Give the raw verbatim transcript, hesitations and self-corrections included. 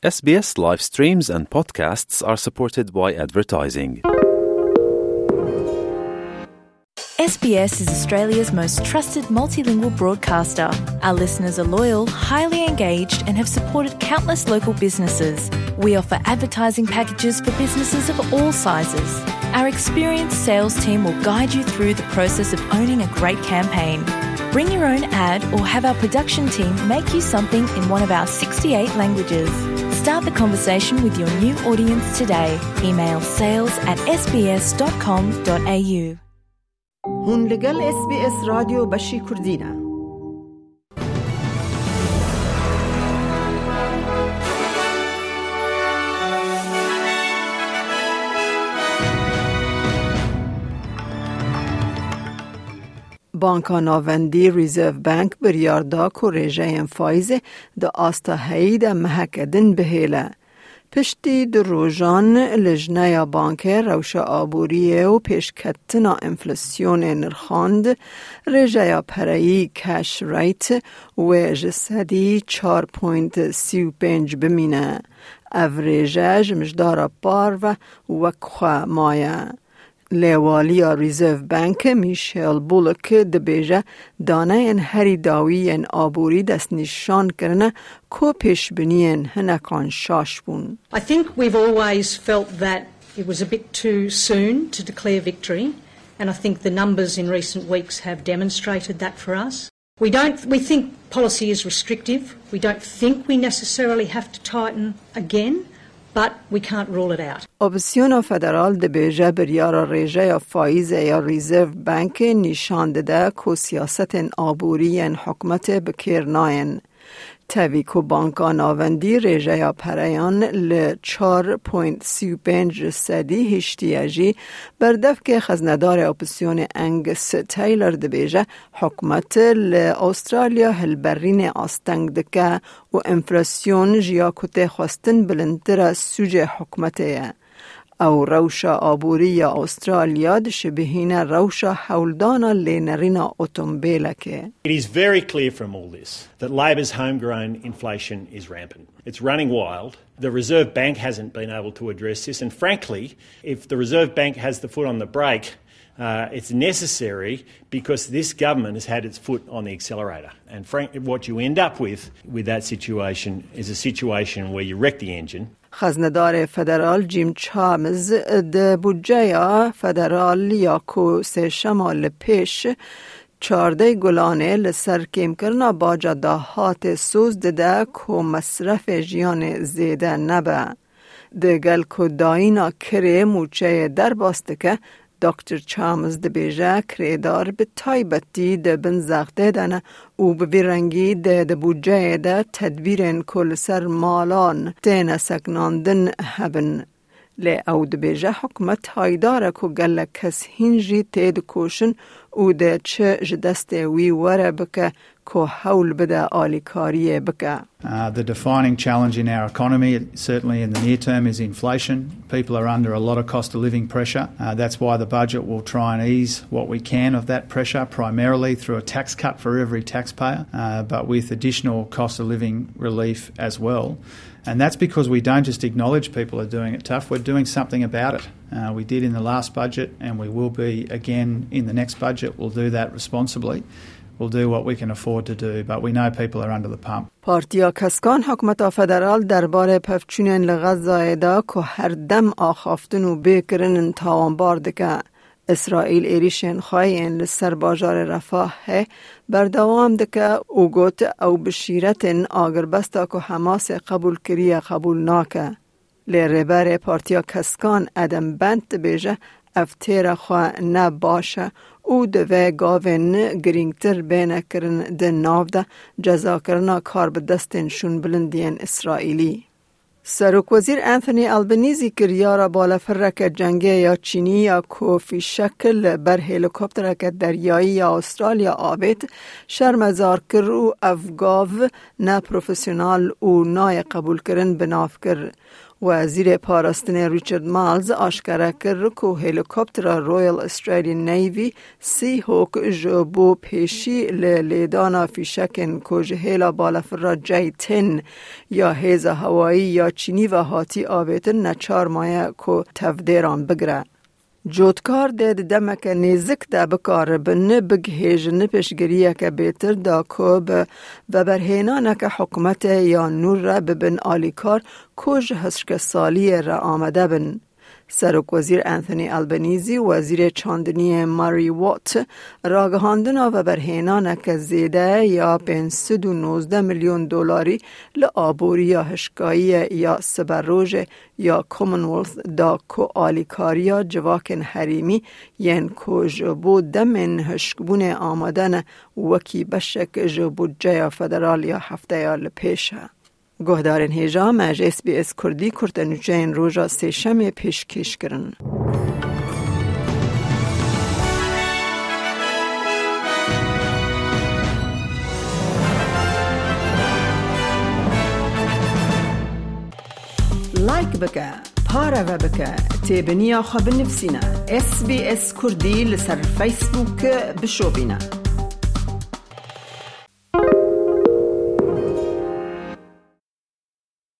S B S live streams and podcasts are supported by advertising. S B S is Australia's most trusted multilingual broadcaster. Our listeners are loyal, highly engaged, and have supported countless local businesses. We offer advertising packages for businesses of all sizes. Our experienced sales team will guide you through the process of owning a great campaign. Bring your own ad or have our production team make you something in one of our sixty-eight languages. Start the conversation with your new audience today. Email sales at S B S dot com dot A U. Hûn li gel S B S Radyo Beşî Kurdî ne. Banka Navendî Reserve Bank biryar da ku rêjeyên faîzê di asta heyî de meheke din bihêle. Piştî du rojan Lijneya Bankê rewşa aboriyê û pêşketina enflasyonê nirxand, rêjeya pereyî cash rate wê ji sedî çar point sî û pênc bimîne. Ev rêje ji mijdara par ve wek xwe maye. Lê waliya Reserve Bank Michelle Bullock dibêje, daneyên herî dawî yên aborî destnîşan kirine ku pêşbiniyên hinekan şaş bûn. I think we've always felt that it was a bit too soon to declare victory, and I think the numbers in recent weeks have demonstrated that for us. We don't, we think policy is restrictive. We don't think we necessarily have to tighten again, but we can't rule it out. Opsiyona federal dibêje biryara rêjeya faîzê ya Reserve Bankê nîşan dide ku siyasetên aborî yên hikûmetê bi kêr nayên. Tevî ku Banka Navendî rêjeya pereyan li çar point sî û pênc sedî hiştiye jî, berdevkê xeznedarê opsiyonê Angus Taylor dibêje, hikûmet li Australya hilberînê asteng dike û enflasyon ji ya ku tê xwestin bilindtir e sûcê hikûmetê ye. Ew rewşa aborî ya Australya dişibihîne rewşa hewldana lênerîna otomobîlekê. It is very clear from all this that Labor's homegrown inflation is rampant. It's running wild. The Reserve Bank hasn't been able to address this, and frankly, if the Reserve Bank has the foot on the brake, uh, it's necessary because this government has had its foot on the accelerator. And frank, what you end up with, with that situation is a situation where you wreck the engine. Xeznedarê federal Jim Chalmers di budceya federal ya ku sêşema li pêş çardeh Gulanê li ser kêmkirina baca dahatê soz dide ku mesrefê jiyanê zêde nebe. Di gel ku dayîna kirê mûçeyê derbas dike, Doktor Chalmers dibêje, kirêdar bi taybetî di bin zextê de ne û bi vî rengî dê di budceyê de tedbîrên ku li ser malan têne sekinandin hebin. Lê ew dibêje, hikûmet haydar e ku gelek kes hîn jî têdikoşin û dê çi ji destê wî were bike ku hewl bide alîkariyê bike. Uh, the defining challenge in our economy, certainly in the near term, is inflation. People are under a lot of cost of living pressure. Uh, that's why the budget will try and ease what we can of that pressure, primarily through a tax cut for every taxpayer, uh, but with additional cost of living relief as well. And that's because we don't just acknowledge people are doing it tough, we're doing something about it. Uh, we did in the last budget, and we will be again in the next budget. We'll do that responsibly. We'll do what we can afford to do, but we know people are under the pump. Partiya Keskan hikûmeta federal derbarê pevçûnên li Xezayê de ku her dem axaftin û bê kirinin tawanbar dike. Îsraîl êrîşên xwe yên li ser bajarê Refahê berdewam dike û got, ew bi şîretên agirbesta ku Hemasê qebûl kiriye qebûl nake. Lê rêberê Partiya Keskan Adam Bent dibêje, ev têra xwe ne baş e û divê gavên girîngtir bêne kirin di nav de cezakirina karbidestên şûnbilindiyên Îsraîlî. Serokwezîr Anthony Albanese kiryara balefireke cengê ya Çînî ya ku fîşek li ber helîkoptereke deryayî ya Australya avêt, şermezar kir û ev gav ne profesyonal û nayê qebûlkirin bi nav kir. Wezîrê Parastinê Richard Marles aşkere kir ku helîkoptera Royal Australian Navy Seahawk ji bo pêşî li lêdana fîşekên ku ji hêla balafira J ten ya hêza hewayî ya Çînî ve hatî avêtin neçar maye ku tevdêran bigire. Cotkar dê di demeke nêzik de bikaribin bigihêjin piştgiriyeke bêtir da ku bi veberhênaneke hikûmetê ya nû re bibin alîkar ku ji hişkesaliyê re amade bin. Serokwezîr Anthony Albanese û Wezîrê Çandiniyê Murray Watt ragihandina veberhênaneke zêde ya pênc sed û nozdeh milyon dolarî li aboriya hişkayiyê ya siberojê ya Commonwealth da ku alîkariya civakên herêmî yên ku ji bo demên hişkbûnê amade ne wekî beşek ji budceya federal ya hefteya li pêş e. Guhdarên hêja me ji S B S Kurdî kurte nûçeyên roja Sêşemê pêşkêş kirin. Like bike, pareve bike, têbiniya xwe binivîsîne. S B S Kurdî li ser Facebook bişopîne.